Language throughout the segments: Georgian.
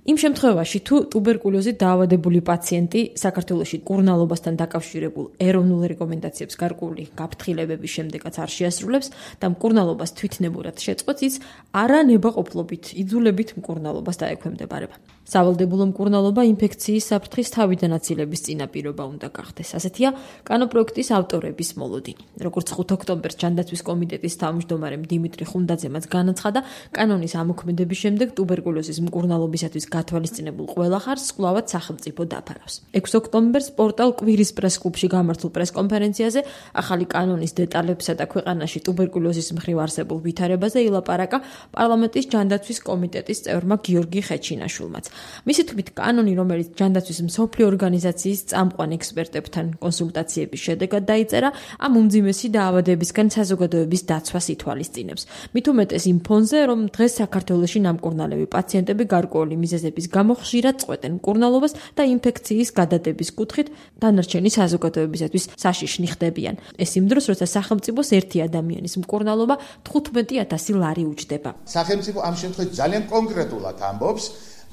იმ შემთხვევაში, თუ ტუბერკულოზით დაავადებული პაციენტი საქართველოში მკურნალობასთან დაკავშირებულ ეროვნულ რეკომენდაციებს გარკვეული გაფრთხილებების შემდეგაც არ შეასრულებს და მკურნალობას თვითნებურად შეწყვეტს, ის არანებაყოფლობით, იძულებით მკურნალობას დაექვემდებარება. სავალდებულო მკურნალობა ინფექციის საფრთხის თავიდან აცილების წინაპირობა უნდა გახდეს. ასეთია კანონპროექტის ავტორების მოლოდინი. როგორც 5 ოქტომბერს ჯანდაცვის კომიტეტის თავმჯდომარემ დიმიტრი ხუნდაძემაც განაცხადა, კანონის ამოქმედების შემდეგ ტუბერკულოზის მკურნალობისათვის გათვალისწინებულ ყველა ხარჯს კვლავაც სახელმწიფო დაფარავს. 6 ოქტომბერს პორტალ კვირის პრეს-კლუბში გამართულ პრეს-კონფერენციაზე ახალი კანონის დეტალებსა და ქვეყანაში ტუბერკულოზის მხრივ არსებულ ვითარებაზე ილაპარაკა პარლამენტის ჯანდაცვის კომიტეტის წევრმა გიორგი ხეჩინაშვილმაც. მისი თქმით, კანონი, რომელიც ჯანდაცვის მსოფლიო ორგანიზაციის წამყვან ექსპერტებთან კონსულტაციების შედეგად დაიწერა, ამ უმძიმესი დაავადებისგან საზოგადოების დაცვას ითვალისწინებს. მით უმეტეს იმ ფონზე, რომ დღეს საქართველოში ნამკურნალები პაციენტები გარკვეული მიზეზების გამო ხშირად წყვეტენ მკურნალობას და ინფექციის გადადების კუთხით დანარჩენი საზოგადოებისათვის საშიშნი ხდებიან. ეს იმ დროს, როცა სახელმწიფოს ერთი ადამიანის მკურნალობა 15,000 ლარი უჯდება. სახელმწიფო ამ შემთხვევაში ძალიან კონკრეტულად ამბობს,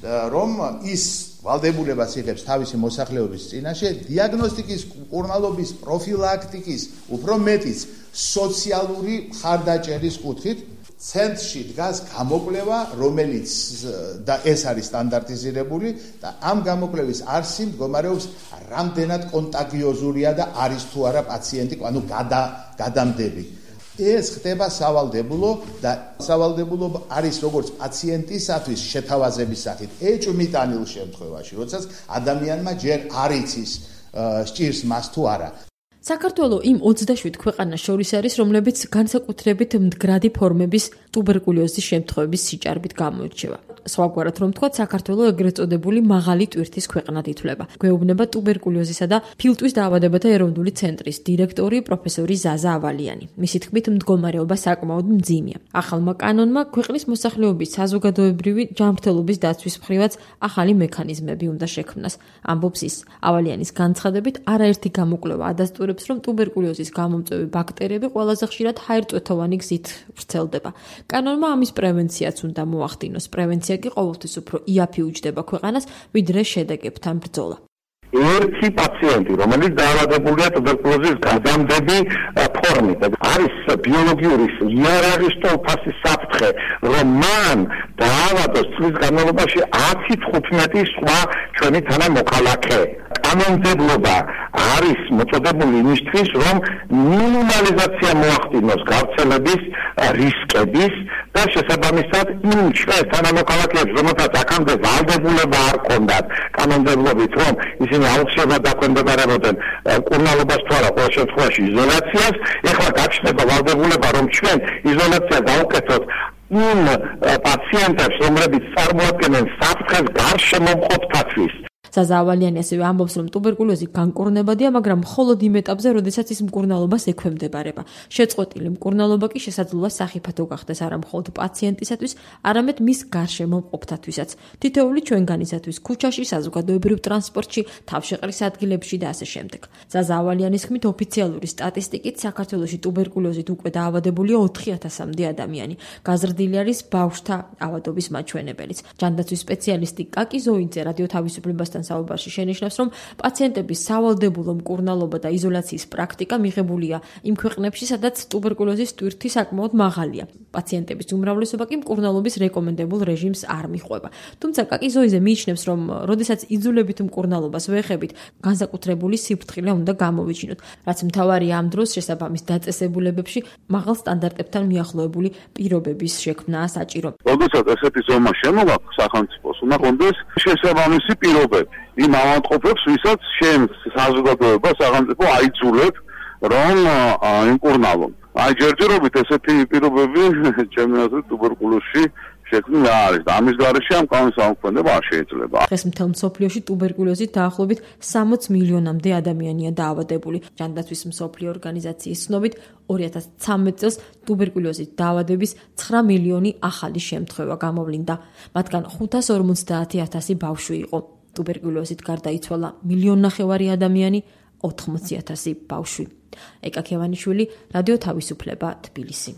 რომ ის ვალდებულებას იღებს თავისი მოსახლეობის წინაშე დიაგნოსტიკის, მკურნალობის, პროფილაქტიკის, უფრო მეტიც სოციალური მხარდაჭერის კუთხით ცენტრში დგას გამოკვლევა, რომელიც და ეს არის სტანდარტიზირებული და ამ გამოკვლევის არსი მდგომარეობს რამდენად კონტაგიოზურია და არის თუ არა პაციენტი, ანუ გადამდები. ეს ხდება სავალდებულო და სავალდებულო არის როგორც პაციენტისათვის შეთავაზების სახით ეჭვმიტანილ შემთხვევაში, როდესაც ადამიანმა ჯერ არ იცის სჭირს მას თუ არა. საქართველო იმ 27 ქვეყანას შორის არის, რომლებიც განსაკუთრებით მდგრადი ფორმების ტუბერკულოზის შემთხვევების სიჭარბით გამოირჩევა. სხვაგვარად რომ ვთქვათ, საქართველო ეგრეთ წოდებული მაღალი ტვირთის ქვეყნად ითვლება. გვეუბნება ტუბერკულოზისა და ფილტვის დაავადებათა ეროვნული ცენტრის დირექტორი პროფესორი ზაზა ავალიანი. მისი თქმით, მდგომარეობა საკმაოდ მძიმეა. ახალმა კანონმა ქვეყნის მოსახლეობის საზოგადოებრივი ჯანმრთელობის დაცვის მხრივაც ახალი მექანიზმები უნდა შექმნას. ამბობს ის. ავალიანის განცხადებით, არაერთი გამოკვლევა ადასტურებს, რომ ტუბერკულოზის გამომწვევი ბაქტერიები ყველაზე ხშირად ჰაერწვეთოვანი გზით ვრცელდება. კანონმა ამის პრევენციაც უნდა მოახდინოს. პრევენცია კი ყოველთვის უფრო იაფი უჯდება ქვეყანას, ვიდრე შედეგებთან ბრძოლა. ერთი პაციენტი, რომელიც დაავადებულია ტუბერკულოზის გადამდები ფორმით, არის ბიოლოგიური იარაღის თვალსაჩინო საფრთხე, რომ მან დაავადოს წლის განმავლობაში 10-15 სხვა ჩვენი თანამოქალაქე. კანონმდებლობა არის მოწოდებული იმისთვის, რომ მინიმალიზაცია მოახდინოს გავრცელების რისკების და შესაბამისად იმ ჩვენ თანამოქალაქეებს, რომელთაც აქამდე ვალდებულება არ ჰქონდათ კანონმდებლობით, რომ ისინი აუცილებლად დაქვემდებარებოდნენ მკურნალობას თუ არა, ყოველ შემთხვევაში იზოლაციას, ეხლა გაჩნდება ვალდებულება, რომ ჩვენ იზოლაცია დავუკეთოთ იმ პაციენტებს, რომლებიც წარმოადგენენ საფრთხეს გარშემომყოფთათვის. ზაზა ავალიანი ასევე ამბობს, რომ ტუბერკულოზი განკურნებადია, მაგრამ მხოლოდ იმ ეტაპზე, როდესაც ის მკურნალობას ექვემდებარება. შეწყვეტილი მკურნალობა კი შესაძლოა სახიფათო გახდეს არა მხოლოდ პაციენტისათვის, არამედ მის გარშემომყოფთათვისაც. თითოეული ჩვენგანისათვის ქუჩაში, საზოგადოებრივ ტრანსპორტში, თავშეყრის ადგილებში და ასე შემდეგ. ზაზა ავალიანის თქმით, ოფიციალური სტატისტიკით საქართველოში ტუბერკულოზით უკვე დაავადებულია 4,000-მდე ადამიანი. გაზრდილი არის ბავშვთა ავადობის მაჩვენებელიც. ჯანდაცვის სპეციალისტი კაკი ზოინძე რადიო თავისუფლებასთან საუბარში შენიშნავს, რომ პაციენტების სავალდებულო მკურნალობა და იზოლაციის პრაქტიკა მიღებულია იმ ქვეყნებში, სადაც ტუბერკულოზის ტვირთი საკმაოდ მაღალია. პაციენტების უმრავლესობა კი მკურნალობის რეკომენდებულ რეჟიმს არ მიჰყვება. თუმცა კაკი ზოინძე მიიჩნევს, რომ როდესაც იძულებით მკურნალობას ვეხებით, განსაკუთრებული სიფრთხილე უნდა გამოვიჩინოთ, რაც მთავარია ამ დროს შესაბამის დაწესებულებებში მაღალ სტანდარტებთან მიახლოებული პირობების შექმნაა საჭირო. როდესაც ესეთი ზომა შემოაქვს სახელმწიფოს, უნდა კონდეს შესაბამისი პირობები. იმ ავადმყოფებს, ვისაც შენ საზოგადოება სახელმწიფო აიძულებს, რომ იმკურნალონ. ჯერჯერობით ესეთი პირობები ჩემი აზრით ტუბერკულოზში შექმნილი არის და ამის გარეშე ამ კანონის ამოქმედება არ შეიძლება. დღეს მთელ მსოფლიოში ტუბერკულოზით დაახლოებით 60 მილიონამდე ადამიანია დაავადებული. ჯანდაცვის მსოფლიო ორგანიზაციის ცნობით 2013 წელს ტუბერკულოზით დაავადების 9 მილიონი ახალი შემთხვევა გამოვლინდა. მათგან 550,000 ბავშვი იყო. ტუბერკულოზით გარდაიცვალა 1,5 მილიონი ადამიანი, 80,000 ბავშვი. ეკა ქევანიშვილი, რადიო თავისუფლება, თბილისი.